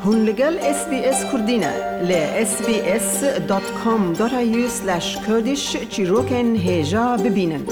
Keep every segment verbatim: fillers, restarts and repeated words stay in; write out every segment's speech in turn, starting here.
Hûn li gel S B S Kurdî ne. Li S B S dot com dot A U slash Kurdish çîrokên hêja bibînin.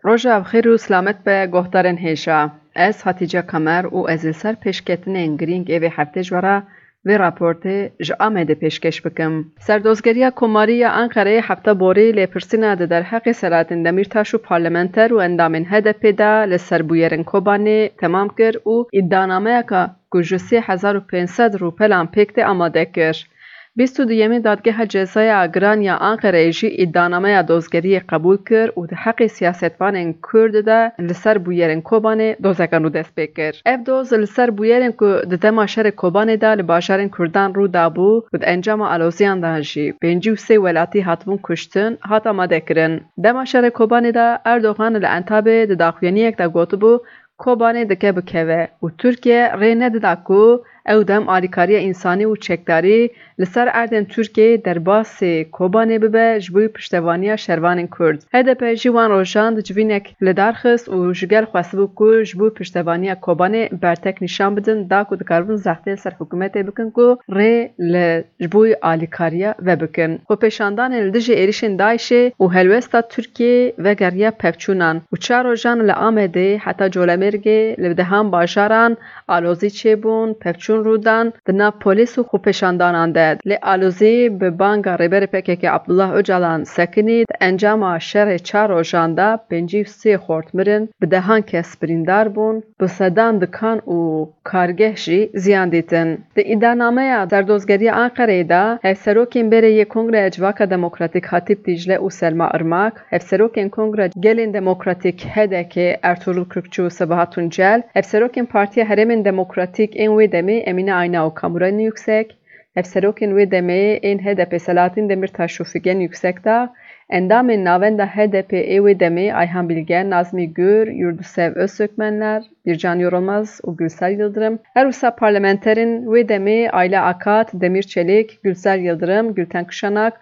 Roja bi xêr û silamet be, guhdarên hêja. Ez Hatice Kamer û ez li ser pêşketinên girîng ê vê heftê ji we re vê raportê ji Amedê pêşkêş bikim. Serdozgeriya Komarî ya Anqereyê hefta borî lêpirsîna di derheqê Selahattin Demîrtaş û parlamenter û endamên H D P de li ser bûyerên Kobanê temam kir û îdianameyeka ku ji sê hezar û pênc sed rûpelan pêk tê amade kir. Bîst û duyemîn Dadgeha Cezaya Giran ya Anqereyê jî îdianameya dozgeriyê qebûl kir û di heqê siyasetvanên Kurd de li ser bûyerên Kobanê dozeka nû dest pê kir. Ev doz li ser bûyerên ku di dema şerê Kobanê de li bajarên Kurdan rû dabû û di encama aloziyan de jî pêncî û sê welatî hatibûn kuştin, hat amadekirin. Dema şerê Kobanê de Erdogan li Entabê di daxuyaniyek de gotibû, Kobanê dike bikeve û Tirkiye rê nedida ku ew dem alîkariya însanî û çekdarî li ser erdên Tirkiyeyê derbasî Kobanê bibe ji bo piştevaniya şervanên Kurd. H D P jî wan rojan di civînek li dar xist û ji gel xwestibû ku ji bo piştevaniya Kobanê bertek nîşan bidin, da ku dikaribin zextê li ser hikûmetê bikin ku rê li ji bo alîkariya vebikin. Xwepêşandanên li dijî êrişên DAIŞê û helwesta Tirkiyê vegeriya pevçûnan û çar rojan li Amedê heta Colemêrgê li dehan bajaran alozî çêbûn, pevçûn rûdan di nav polîs û xwepêşandanan de. Lê alozî bi banga Rêberê P K K Abdullah Ocalan sekinî, di encama şerê çar rojan de pêncî û sê xort mirin, bi dehan kes birîndar bûn, bi sedan dikan û kargeh jî ziyan dîtin. Di îdianameya Serdozgeriya Anqereyê de hevserokên berê yê Kongreya Civaka Demokratîk Hatîp Dîcle û Selma Irmak, hevserokên Kongreya Gelên Demokratîk H D K Ertuğrul Kürkçü û Sebahat Tuncel, hevserokên Partiya Herêmên Demokratîk ên wê demê Emine Ayna û Kamuran Yüksek, hevserokên wê demê ên H D P Selahattin Demirtaş û Figen Yüksekdağ, endamên Navenda H D P ê wê demê Ayhan Bilge, Nazmi Gür, Yurdusev Öztürkmenler, Bircan Yorulmaz û Gülsel Yıldırım, her wisa parlamenterên wê demê Ayla Akat, Demir Çelik, Gülsel Yıldırım, Gülten Kışanak,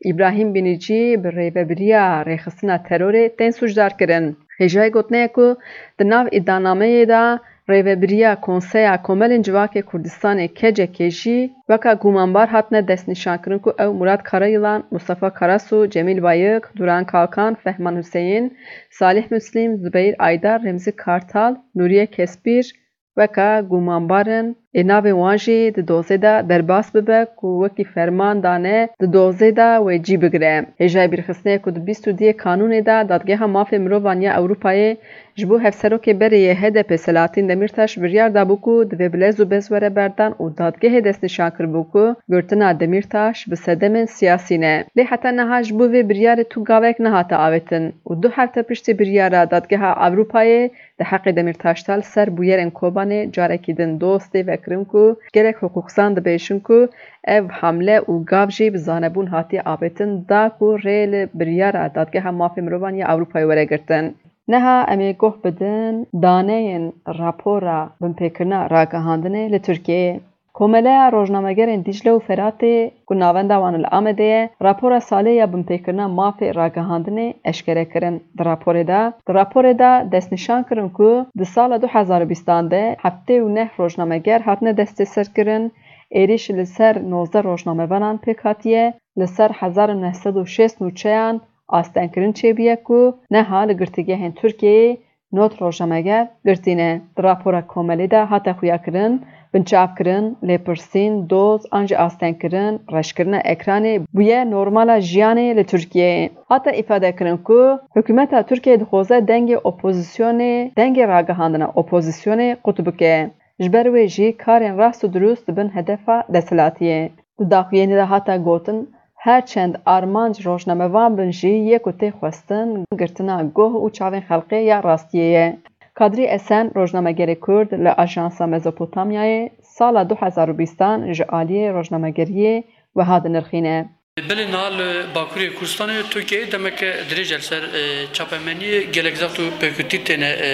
Îbrahîm Bînicî bi rêvebiriya rêxistina terorê tên sûcdar kirin. Hêjayî gotinê ye ku di nav îdianameyê de rêvebiriya Konseya Komelên Civakê Kurdistanê, K C K, jî weka gumanbar hatine destnîşankirin ku ew Murat Karayilan, Mustafa Karasu, Cemîl Bayik, Duran Kalkan, Fehman Huseyîn, Salih Muslim, Zubeyir Aydar, Remzi Kartal, Nuriye Kespîr, weka gumanbar in, ê navê wan jî di dozê de derbas bibe ku wekî ferman dane di dozê de wê cî bigire. Hêjayî bîrxistinê ye ku di bîst û duyê Kanûnê de Dadgeha Mafê Mirovan ya Ewropayê ji bo hevserokê berê yê H D P Selahattin Demirtaş biryar dabû ku divê bi lez û bez were berdan û dadgehê destnîşan kiribû ku girtina Demirtaş bi sedemên siyasî ne. Lê heta niha ji bo vê biryarê tu gavek nehate avêtin û du hefte piştî biryara Dadgeha Ewropayê di heqê Demîrtaş de li ser bûyerên Kobanê carekî din doz tê vekirin ku gelek hiqûqzan dibêjin ku ev hamle û gav jî bi zanebûn hatiye avêtin da ku rê li biryara Dadgeha Mafê Mirovan ya Ewropayê were girtin. Niha em ê guh bidin daneyên rapora binpêkirina ragihandinê li Tirkiyeyê. Komeleya Rojnamegerên Dîcle û Feratê ku navenda wan li Amedê ye, rapora salê ya binpêkirina mafê ragihandinê eşkere kirin. Di raporê de, di raporê de destnîşan kirin ku di sala du hezar û bîstan de heftê û neh rojnameger hatine destêserkirin, êrîş li ser nozdeh rojnamevanan pêk hatiye, li ser hezar û neh sed û şêst nûçeyan astengkirin çêbûye ku neha li girtîgehên Tirkiyeyê nod rojnameger girtî ne. Di rapora komelê de hate xuyakirin, binçavkirin, lêpirsîn, doz an jî astengkirin, reşkirina ekranê bûye normala jiyanê li Tirkiyeyê. Hate îfadekirin ku hikûmeta Tirkiyeyê dixwaze dengê opozisyonê, dengê ragihandina opozisyonê qut bike. Ji ber wê jî karên rast û dirust dibin hedefa desthilatiyê. Di daxuyaniyê de hate gotin, her çend armanc rojnamevan bin jî yê ku tê xwestin girtina guh û çavên xelkê ya rastiyê ye. Kadrî Esen, rojnamegerê Kurd li Ajansa Mezopotamyayê, sala du hezar û bîstan ji aliyê rojnamegeriyê wiha dinirxîne. Belê niha li Bakurê Kurdistanê Tirkiyeyê demeke dirêj e li ser, e, çapemeniyê gelek zext û pêkutî têne, e,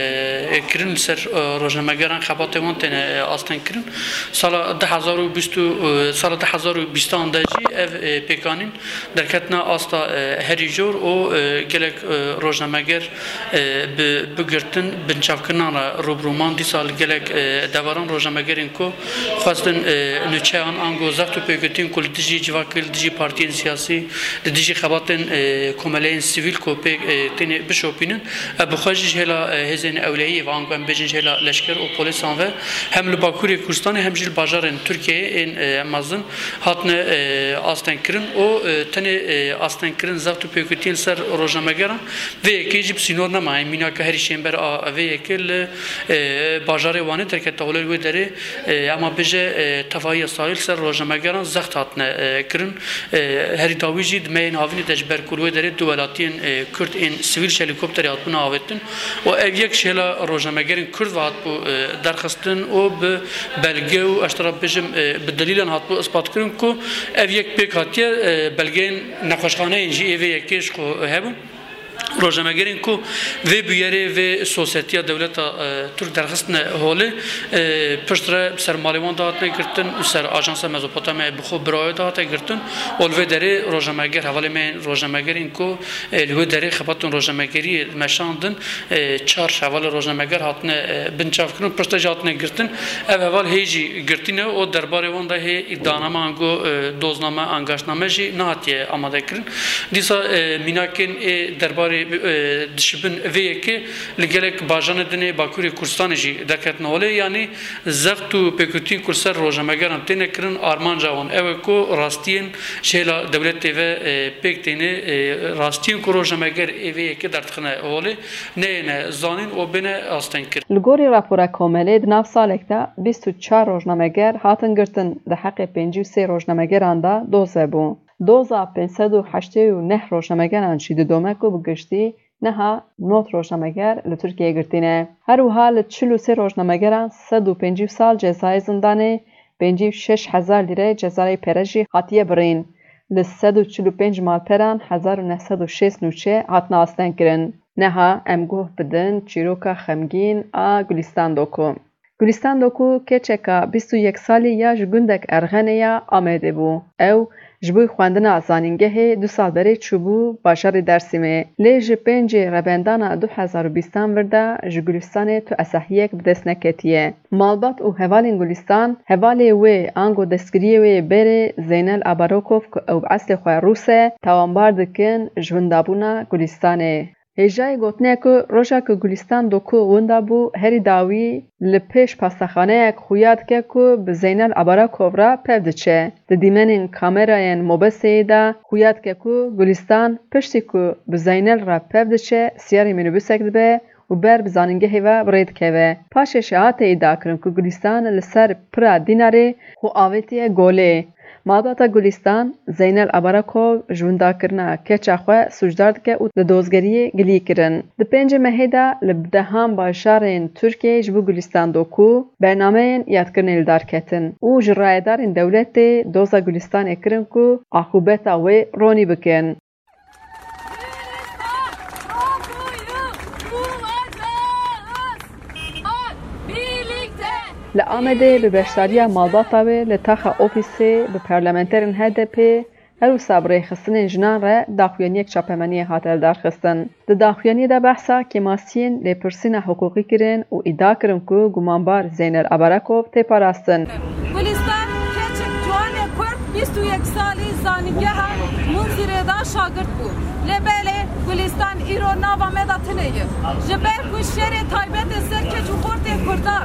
e, kirin li ser, e, rojnamegeran, xebatê wan têne, e, asteng kirin. Sala du hezar û bîst û, e, sala du hezar û bîstan de jî ev, e, pêkanîn derketine asta, e, herî jor û, e, gelek, e, rojnameger, e, bi, bi girtin, binçavkirinan re rûbirû man. Dîsa li gelek, e, deveran rojnamegerên ku xwestin, e, nûçeyan ango zext û pêkutiyên ku li dijî civakê, li dijî partiyên siyasî, li dijî xebatên, e, komeleyên sivîl ku pê, e, têne bişopînin, ev bi xwe jî ji hêla, e, hêzên ewlehiyê ve, ango em bêjin ji hêla leşker û polîsan ve, hem li Bakurê Kurdistanê hem jî li bajarên Tirkiyeyê ên, e, mezin hatine, e, astengkirin û, e, tenê, e, astengkirin zext û pêkutiyên ser rojnamegeran vê yekê jî bi sînor nema. Em mînaka herî şênber a vê yekê li, e, bajarê Wanê derkete holê. Li wê derê, e, ema bêje, e, tevahiya salî li ser rojnamegeran zext hatine, e, kirin. E, herî dawî jî di mehên havînê de ji ber ku li wê derê du welatiyên, e, Kurd ên sivîl ji helîkopterê hatibûne avêtin û ev yek ji hêla rojnamegerên Kurd ve hatibû, e, derxistin û bi belge û ez ji te re bêjim, e, bi delîlan hatibû ispatkirin ku ev yek pêk hatiye, e, belgeyên nexweşxaneyên jî ê vê yekê ji xwe hebûn. Rojnamegerên ku vê bûyerê, vê sosyetiya dewleta, e, Tirk derxistine holê, e, piştre bi ser malê wan de hatine girtin, bi ser Ajansa Mezopotamyayê bi xwe birayê de hate girtin û li vê derê rojnameger, hevalê me yên rojnamegerên ku, e, li wê derê xebatên rojnamegeriyê meşandin, e, çar hevalê rojnameger hatine, e, binçavkirin û piştre jî hatine girtin. Ev heval hê jî girtî ne û derbarê wan de hê îdianame ango, e, dozname, angaştname jî nehatiye amadekirin. Dîsa, e, mînakên ê derbarê, e, dişibin vê yekê li gelek bajarên din ê Bakurê Kurdistanê jî derketine holê. Yanî zext û pêkutiyên ku li ser rojnamegeran têne kirin, armanca wan ew e ku rastiyên ji hêla dewletê ve, e, pêk têne, e, rastiyên ku rojnameger ê vê yekê derdixine holê, neyêne zanîn û bêne astengkirin. Li gorî rapora komelê, di nav salek de bîst û çar rojnameger hatin girtin, di heqê pêncî û sê rojnamegeran de doz hebû. Doza pênc sed û heştê û neh rojnamegeran jî didome ku bi giştî niha nod rojnameger li Tirkiyeyê girtî ne. Her wiha li çil û sê rojnamegeran sed û pêncî sal cezayê zindanê, pêncî û şeş hezar lîre cezayê pere jî hatiye birîn. Li sed û çil û pênc malperan hezar û neh sed û şêst nûçe hatine astengkirin. Niha em guh bidin çîroka xemgîn a Gulîstan Doku. Gulîstan Doku keçeka bîst û yek salî ya ji gundek Erxenê ya Amedê bû. Ew ji bo xwendina zanîngehê du sal berê çûbû bajarê Dêrsimê. Lê ji pêncê Rebendana du hezar û bîstan vir de ji Gulîstanê tu esehiyek bi dest neketiye. Malbat û hevalên Gulîstan, hevalê wê ango destgiriyê wê yê berê Zeynel Abarokov ku ew bi eslê xwe rûs e, tawanbar dikin ji windabûna Gulîstanê. Hêjayê gotinê ye ku roja ku Gulîstan Doku winda bû, herî dawî li pêş pastexaneyek xuya dike ku bi Zeynel Abarakov re pev diçe. Di dîmenên kamerayên mobeseyê de xuya dike ku Gulîstan piştî ku bi Zeynel re pev diçe, siyarê mînîbusek dibe û ber bi zanîngehê ve bi rê dikeve. Paşê jî hate îdiakirin ku Gulîstan li ser pira Dînarê xwe avêtiye golê. Malbata Gulîstan, Zeynel Abarakov ji windakirina keça xwe sûcdar dike û li dozgeriyê gilî kirin. Di pêncê mehê de li bi dehan bajarên Tirkiyeyê ji bo Gulîstan Doku bernameyên yadkirinê li dar ketin û ji rayedarên dewletê doza Gulîstanê kirin ku aqûbeta wê ronî bikin. Li Amedê bi beşdariya malbata wê li taxa ofîsê bi parlamenterên H D P, her wisa bi rêxistinên jinan re daxuyaniyek çapemeniyê hate lidarxistin. Di daxuyaniyê de behsa kêmasiyên lêpirsîna hiqûqî kirin û îdia kirin ku gumanbar Zeynel Abarakov tê parastin. Gulistan keçik ciwanê Kurd bîst û yek salî zanîngeha Munzîrê de şagirt bû. Lê belê Gulistan îro nava me de tune ye. Ji ber ku şerê taybet ê ser keç û xortê Kurda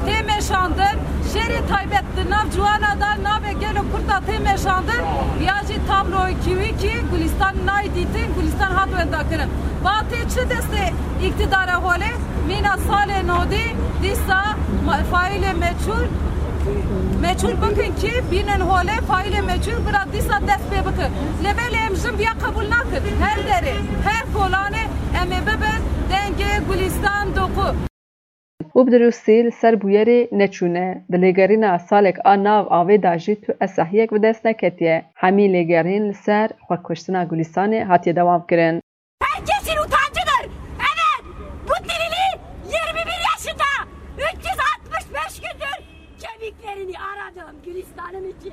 tê meşandin, şerê taybet di nav ciwana de navê gelo Kurd de tê meşandin, ya jî tabloyekî wî kî Gulistan nayê dîtin, Gulistan hat wendakirin. Va tê çi destê îktidara holê? Mîna salê nodî dîsa ma-, faîlê meçhûl, meçhûl bikin kî bînin holê faîlê meçhûl bira dîsa dest pê bikin. Lê belê em jin viya qebûl nakin. Her derê, her kolanê em ê bibin dengê Gulîstan Doku. û bi dirûstî li ser bûyerê neçûne. Di lêgerîna salek a nav avê de jî tu esahiyek bi dest neketiye. Hemî lêgerîn li ser xwekuştina Gulîstanê hatiye dewamkirin. Herkesin utancıdır. Evet, bu Tilili yirmi bir yaşında, üç yüz altmış beş gündür kemiklerini aradım Gülistan'ım için.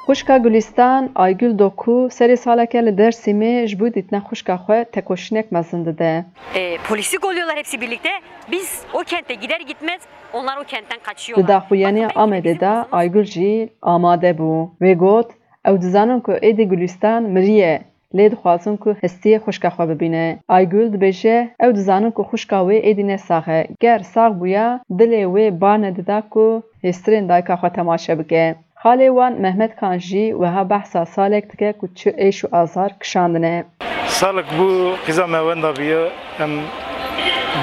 Xwişka Gulîstan, Aygul Doku, serê saleke li Dêrsimê ji bo dîtina xwişka xwe tekoşînek mezin dide. E, polisi kolluyorlar hepsi birlikte. Biz o kente gider gitmez onlar o kentten kaçıyorlar. Di daxuyaniya Amedê de Aygul jî amade bû. Wê got, ew dizanin ku êdî Gulîstan miriye. Lê dixwazin ku hestiyê xwişka xwe bibîne. Aygul dibêje, ew dizanin ku xwişka wê êdî ne sax e. Ger sax bûya, dilê wê bar nedida ku hêstirên dayika xwe temaşe bike. Xalê wan Mehmet Kan jî wiha behsa salek dike ku çi êş û azar kişandine. Salek bû qîza me wenda bûye. Em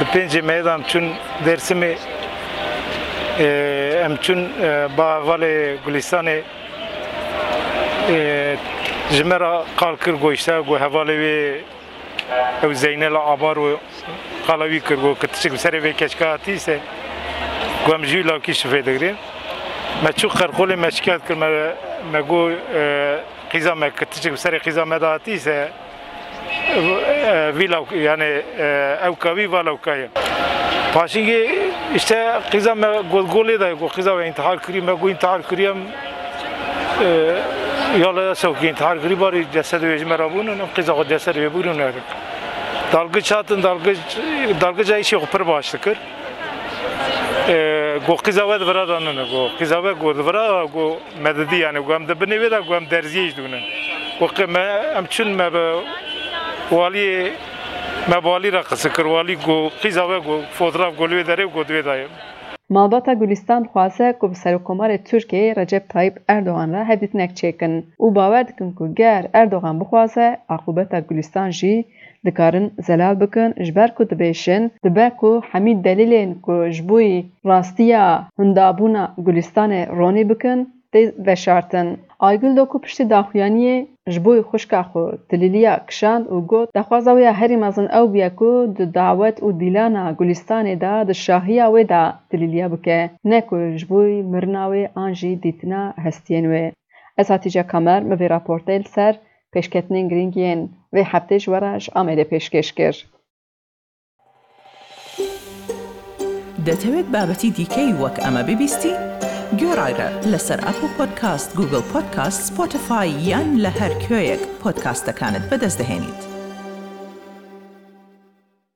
di pêncê meyê de em çûn Dêrsimê. Em çûn, e, ba hevalê Gulistanê. Ê, ji me re qal kir, got, îşte, got, hevalê wê ew Zeynel Abar û qala wî kir, got, ku tiştek bi serê vê keçika hatî se, got, em ji wî lawkî şifê digirin. Me çû qerqolê, me şikayet kir, me, me got, e, qîza me, ku tiştek bi serê qîza me de hatî se, e, vî lawk-, yani, e, ew kawî va lawka ye. Paşingê, işte, qîza me got, golê de, got, qîza we intihar kirî, me got, intihar kirî em, e, ya le sewkî intihar kirî, barî cesedê wê ji me re bûnin, em qîza xwe cesedê wê bûrin. Dalgiç hatin, dalgiç, dalgiça îşê xwe pir baş dikir. E, got, qîza we di vira de nine, got, qîza we, got, di vira, got, me didî, yani, got, em di binê wê de, got, em derziyê jî dûnin. Got, qe-, me, em çûn, me bi waliyê, me bi walî re qise kir, walî got, qîza we, got, fotoğraf, got, li wê derê, got, di wê de ye. Malbata Gulîstan dixwaze ku bi Serokkomarê Tirkiyeyê Recep Tayyip Erdogan re hevdîtinek çêkin û bawer dikin ku ger Erdogan bixwaze, aqûbeta Gulîstan jî dikarin zelal bikin, ji ber ku dibêjin, dibe ku hemî delîlên ku ji bo rastiya hindabûna Gulistanê ronî bikin, tê veşartin. Aygul Doku piştî daxuyaniyê ji bo xwişka xwe tilîliya kişand û got, daxwaza wê ya herî mezin ew bûye ku di dawet û dîlana Gulistanê de di şahiya wê de tilîliya bike, ne ku ji bo mirina wê an jî dîtina hestiyên wê. Ez Hatice Kamer, min vê raportê li ser pêşketinên girîng yên vê heftê ji we re ji Amedê pêşkêş kir. دەتەوێت بابەتی دیکەی وەک ئەمە ببیستی؟ گوێڕایرە لەسەر ئەپڵ پۆدکاست، گوگڵ پۆدکاست، سپۆتیفای یان لە هەر کوێیەک پۆدکاستەکانت بەدەست دەهێنیت.